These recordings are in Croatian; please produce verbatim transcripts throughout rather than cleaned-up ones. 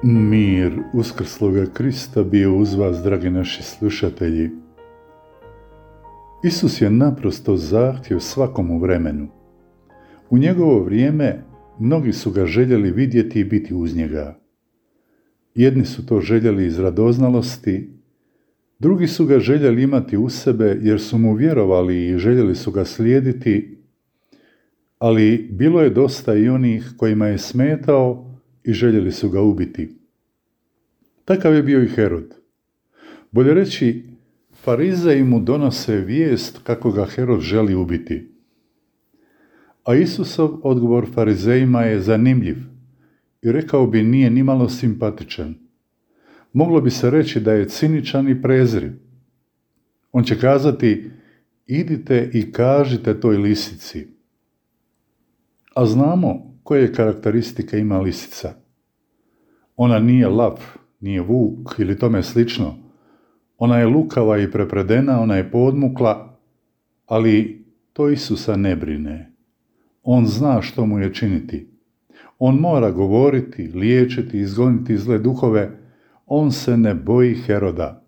Mir uskrsloga Krista bio uz vas, dragi naši slušatelji. Isus je naprosto zahtjev svakom u vremenu. U njegovo vrijeme mnogi su ga željeli vidjeti i biti uz njega. Jedni su to željeli iz radoznalosti, drugi su ga željeli imati u sebe jer su mu vjerovali i željeli su ga slijediti, ali bilo je dosta i onih kojima je smetao i željeli su ga ubiti. Takav je bio i Herod. Bolje reći, farizeji mu donose vijest kako ga Herod želi ubiti. A Isusov odgovor farizejima je zanimljiv i rekao bi nije nimalo simpatičan. Moglo bi se reći da je ciničan i prezriv. On će kazati, idite i kažite toj lisici. A znamo koje karakteristike ima lisica. Ona nije lav, nije vuk ili tome slično. Ona je lukava i prepredena, ona je podmukla, ali to Isusa ne brine. On zna što mu je činiti. On mora govoriti, liječiti, izgoniti zle duhove. On se ne boji Heroda.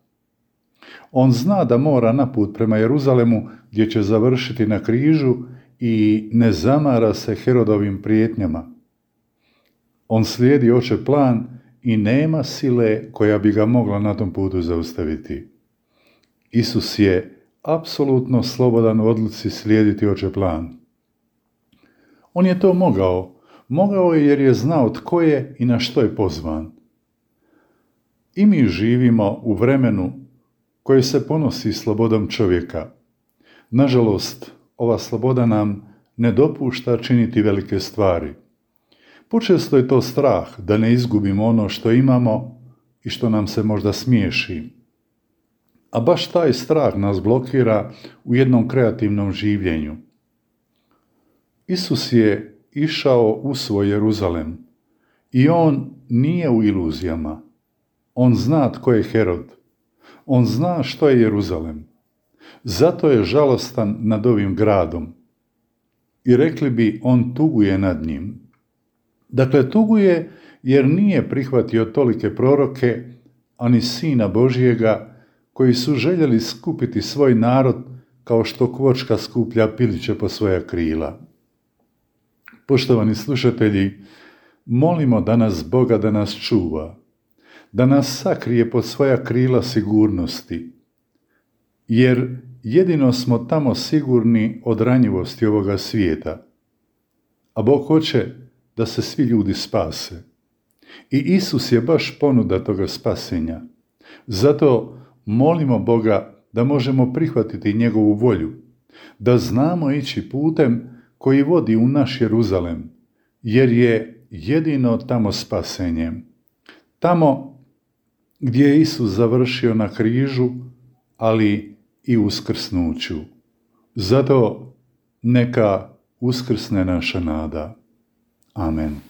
On zna da mora na put prema Jeruzalemu gdje će završiti na križu i ne zamara se Herodovim prijetnjama. On slijedi oče plan i nema sile koja bi ga mogla na tom putu zaustaviti. Isus je apsolutno slobodan u odluci slijediti oče plan. On je to mogao. Mogao je jer je znao tko je i na što je pozvan. I mi živimo u vremenu koje se ponosi slobodom čovjeka. Nažalost, ova sloboda nam ne dopušta činiti velike stvari. Počesto je to strah da ne izgubimo ono što imamo i što nam se možda smiješi. A baš taj strah nas blokira u jednom kreativnom življenju. Isus je išao u svoj Jeruzalem i on nije u iluzijama. On zna tko je Herod. On zna što je Jeruzalem. Zato je žalostan nad ovim gradom. I rekli bi, on tuguje nad njim. Dakle, tuguje jer nije prihvatio tolike proroke, ani Sina Božjega, koji su željeli skupiti svoj narod kao što kvočka skuplja piliće po svoja krila. Poštovani slušatelji, molimo danas Boga da nas čuva, da nas sakrije pod svoja krila sigurnosti, jer jedino smo tamo sigurni od ranjivosti ovoga svijeta, a Bog hoće da se svi ljudi spase. I Isus je baš ponuda toga spasenja. Zato molimo Boga da možemo prihvatiti njegovu volju, da znamo ići putem koji vodi u naš Jeruzalem, jer je jedino tamo spasenje. Tamo gdje je Isus završio na križu, ali i uskrsnuću. Zato neka uskrsne naša nada. Amen.